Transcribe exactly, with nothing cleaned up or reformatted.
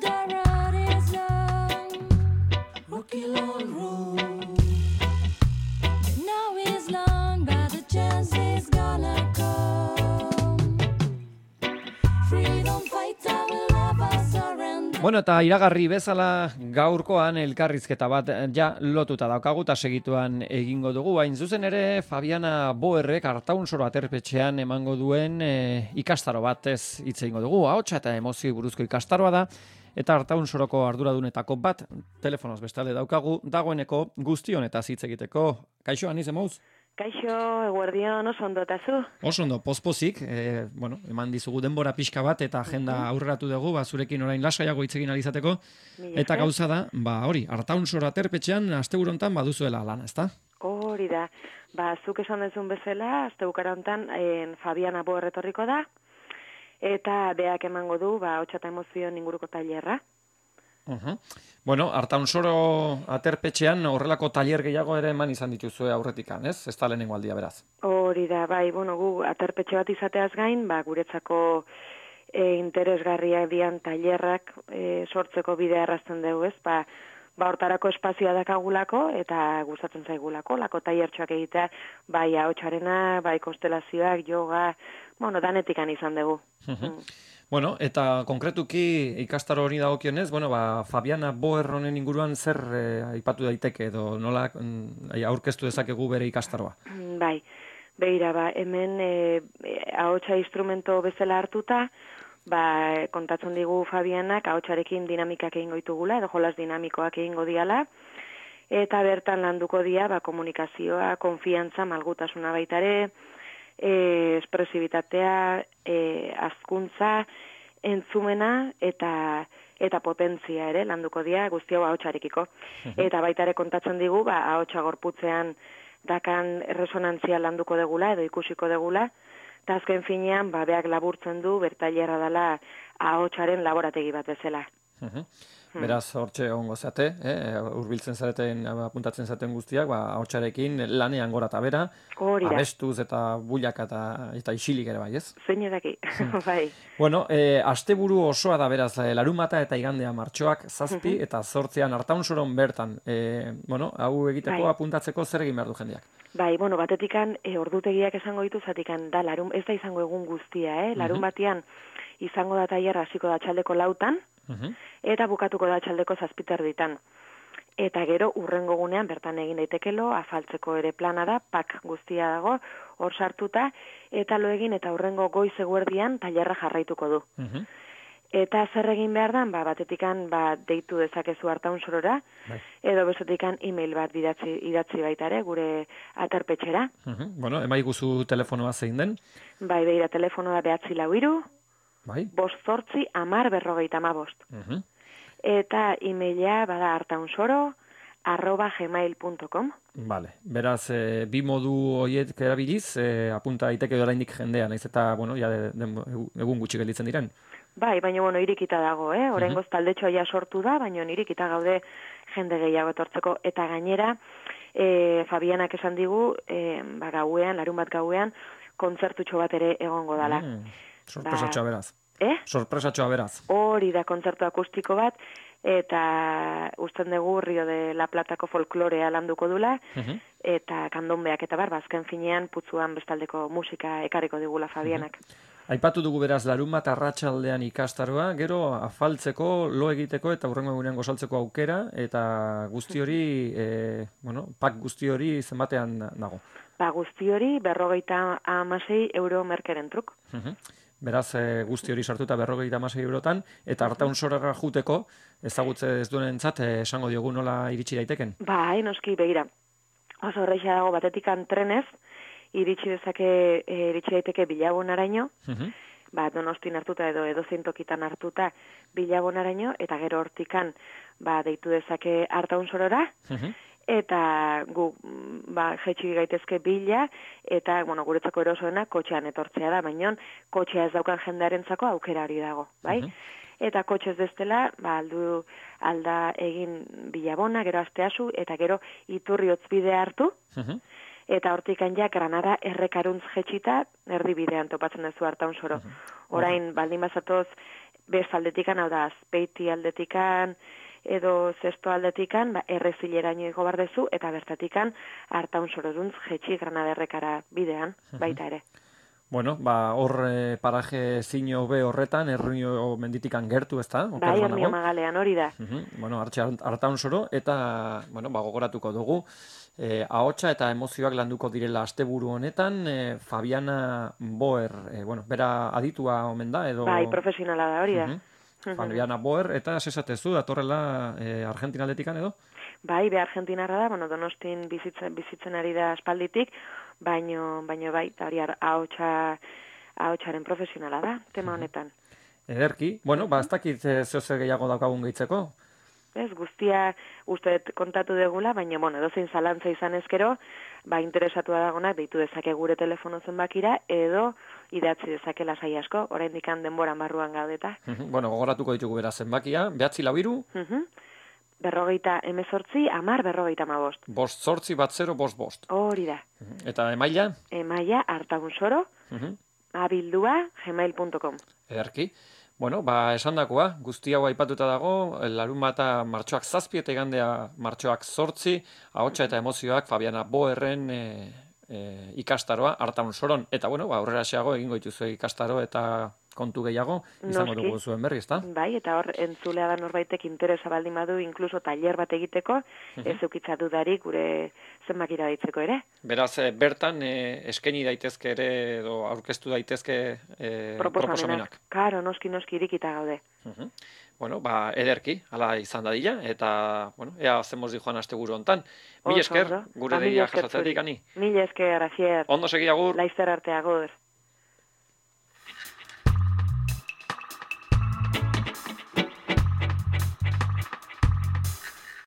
the road is long, rocky long road. Now is long, but the chance is gonna come. Freedom fighter will never surrender. Bueno, eta iragarri bezala gaurkoan elkarrizketa bat ja lotuta daukagu eta segituan egingo dugu. Hain zuzen ere, Fabiana Boerrek Artaunsoro aterpetxean emango duen e, ikastaro bat ez hitz egingo dugu. Ahotsa eta emozio buruzko ikastaroa da, eta Artaunsoroko arduradunetako bat telefonoz bestalde daukagu, dagoeneko guztion eta hitz egiteko. Kaixo, Aniz Emouz? Kaixo, eguerdion, oso ondo eta zu? Oso ondo, pozpozik, e, bueno, eman dizugu denbora pixka bat eta agenda aurreratu dugu, ba, zurekin orain lasaiago hitz egin alizateko. Eta gauza da, ba, hori, Artaunsoro aterpetxean asteburontan baduzuela lana, ezta? Hori da, ba, zuk esan dezun bezala, astebukara hontan en Fabiana Boer etorriko da, eta beak emango du, ba, hotsa eta emozioen inguruko tailerra. Uh-huh. Bueno, Artaunsoro aterpetxean horrelako tailer gehiago ere eman izan dituzue aurretikan, ez? Ez da lehenengo aldia beraz. Hori da, bai, bueno, gu aterpetxe bat izateaz gain, ba, guretzako e, interesgarriak dian tailerrak e, sortzeko bidea errazten dugu, ez? Ba, ba hortarako espazioa dakagulako eta gustatzen zaigulako, lako tailertxoak egitea, bai ahotsarena, bai konstelazioak, yoga, bueno, danetikan izan dugu. Uh-huh. Mm. Bueno, eta konkretuki ikastaro hori dagokionez, bueno, ba, Fabiana Boer honen inguruan zer eh, aipatu daiteke edo nola mm, aurkeztu dezakegu bere ikastaroa? Bai, beira, ba, hemen eh, ahotsa instrumento bezala hartuta, ba, kontatzen digu Fabianak ahotsarekin dinamikak egingo ditugula, edo jolas dinamikoak egingo diala, eta bertan landuko dia, ba, komunikazioa, konfiantza, malgutasuna baitare, E, espresibitatea, e, azkuntza, entzumena eta eta potentzia ere landuko dira guzti hau ahotsarekiko. Eta baita ere kontatzen digu, ba, ahotsa gorputzean dakan resonantzia landuko degula edo ikusiko degula, eta azken finean, ba, beak laburtzen du, bertailerra dela ahotsaren laborategi bat bezala. Uh-huh. Beraz, hortxe ongo zate, eh? Urbiltzen zareten, apuntatzen zaten guztiak, ba, ahotsarekin lanean gora eta bera, abestuz eta bullaka eta, eta isilik ere bai, ez? Zein edaki, bai. Bueno, eh, asteburu osoa da beraz, larunbata eta igandea martxoak zazpi, uh-huh. eta zortzean Artaunsoron bertan, eh, bueno, hau egiteko bai. Apuntatzeko zer egin behar du jendeak? Bai, bueno, batetikan e, ordutegiak esango ditu zatikan da, larun, ez da izango egun guztia, eh? Larun batean izango da tailerra hasiko da txaldeko lautan, uh-huh. eta bukatuko da txaldeko zazpiter ditan. Eta gero, urrengo gunean bertan egin daitekelo, afaltzeko ere plana da, pak guztia dago, hor sartuta, eta lo egin eta urrengo goiz eguerdian tailerra jarraituko du. Uh-huh. Eta zer egin behar dan, ba, batetikan ba, deitu dezakezu Artaunsorora, bai. Edo bezetikan e-mail bat idatzi, idatzi baitare, gure aterpetxera. Uh-huh. Bueno, emai guzu telefonoa zein den? Bai, beira, telefonoa behatzi lau iru, bai. bost zortzi, amar berrogeita ama bost. Uh-huh. Eta e-maila bada artaunsoro, arroba gmail punto com. Vale. Beraz, e, bi modu horiek erabiliz, e, apunta daiteke oraindik jendea, naiz eta, bueno, ja de, de, egun gutxi gelditzen diren. Bai, baina, bueno, irikita dago, eh? Oraingoz uh-huh. taldetxoa ja sortu da, baina irikita gaude jende gehiago etortzeko. Eta gainera, e, Fabianak esan digu, e, ba, gauean, larun bat gauean, kontzertutxo bat ere egongo dala. Mm, sorpresatxoa ba, beraz. Eh? Sorpresatxoa beraz. Hori da kontzertu akustiko bat, eta usten dugu Rio de la Platako folklorea landuko dula, uh-huh. eta kandombeak eta bar, bazken finean putzuan bestaldeko musika ekarriko digula Fabianak. Uh-huh. Aipatu dugu beraz larun bat arratsaldean ikastaroa, gero afaltzeko, lo egiteko eta hurrengo egunean gozaltzeko aukera, eta guzti hori, e, bueno, pak guzti hori zenbatean dago? Ba, guzti hori berrogeita hamasei euro merkeren truk. Uh-huh. Beraz, e, guzti hori sartuta berrogeita hamasei eurotan, eta Artaunsorora juteko, ezagutze ez duenentzat, e, esango diogu nola iritsi daiteken? Ba, noski, begira. Oso horreixa dago batetikan trenez, iritsi dezake, e, iritsi daiteke Bilagonaraino, uh-huh. ba, Donostin hartuta edo edozein tokitan hartuta Bilagonaraino, eta gero hortikan, ba, deitu dezake Artaunsorora, uh-huh. eta gu, ba, jetxi gaitezke bila, eta, bueno, guretzako erosoena kotxean etortzea da, baina kotxea ez daukan jendearentzako aukera hori dago, bai? Uh-huh. Eta kotxez destela, ba, aldu alda egin Bilabona, gero Asteasu, eta gero Iturri Hotzbidea hartu, uh-huh. eta hortikan ja Granada errekaruntz jetxita erdibidean topatzen duzu Artaunsoro. Uh-huh. Orain, baldin bazatoz, beste aldetikan, hau da, azpeiti aldetikan, edo zesto aldetikan, ba, errezileraino igo bardezu, eta bertatikan hartaun sororuntz jetxi Granaderrekara bidean, baita ere. Bueno, ba, hor eh, paraje zino be horretan, erruño menditikan gertu, ez da? Bai, Ernio Magalean hori da. Uh-huh. Bueno, hartxe hartaun soro, eta, bueno, ba, gogoratuko dugu, eh, ahotsa eta emozioak landuko direla asteburu honetan, eh, Fabiana Boer, eh, bueno, bera aditua omen da, edo... Bai, profesionala da, hori da. Uh-huh. Fabiana Boer, eta sesatezu, datorrela eh, Argentinaldetikan edo? Bai, be Argentinarra da, bueno, Donostin bizitzen, bizitzen ari da aspalditik, baino, baino bai, eta hori ahotsa, ahotsaren profesionala da, tema honetan. Ederki, bueno, ba, ez dakit zehose gehiago daukagun gehitzeko. Ez, guztia uste kontatu degula, baina, bueno, edozein zalantza izan ezkero, ba, interesatua dagonak deitu dezake gure telefono zenbakira, edo idatzi dezake lasai asko, oraindik denboran barruan gaudeta. Bueno, gogoratuko ditugu bera zenbakia, behatzi lau hiru, berrogeita emezortzi, amar berrogeita amabost. Bost zortzi bat zero, bost bost. Hori da. Eta emaila? Emaila, hartaunsoro, abildua, gmail punto com. Ederki. Bueno, ba, esan dakoa, guzti hau aipatuta dago, larun bata martxoak zazpi eta igandea martxoak zortzi, ahotsa eta emozioak Fabiana Boerren e, e, ikastaroa hartaun soron. Eta, bueno, ba, aurrera xeago egingo dituzu ikastaro eta kontu gehiago, izango Noski. dugu zuen berri, ezta? Bai, eta hor, entzulea da norbaitek interesa baldin badu, inkluso tailer bat egiteko, ez eukitza dudarik gure zenbakira deitzeko ere. Beraz, e, bertan e, eskaini daitezke ere, edo aurkeztu daitezke e, proposamenak. Karo, noski, noski irikita gaude. Uh-huh. Bueno, ba, ederki, hala izan dadila, eta, bueno, ea zenboz di joan asteguru hontan. Mil esker, gure deia jasatzetik ani. Mil esker, azier. Ondo segi agur. Laizter arte agur.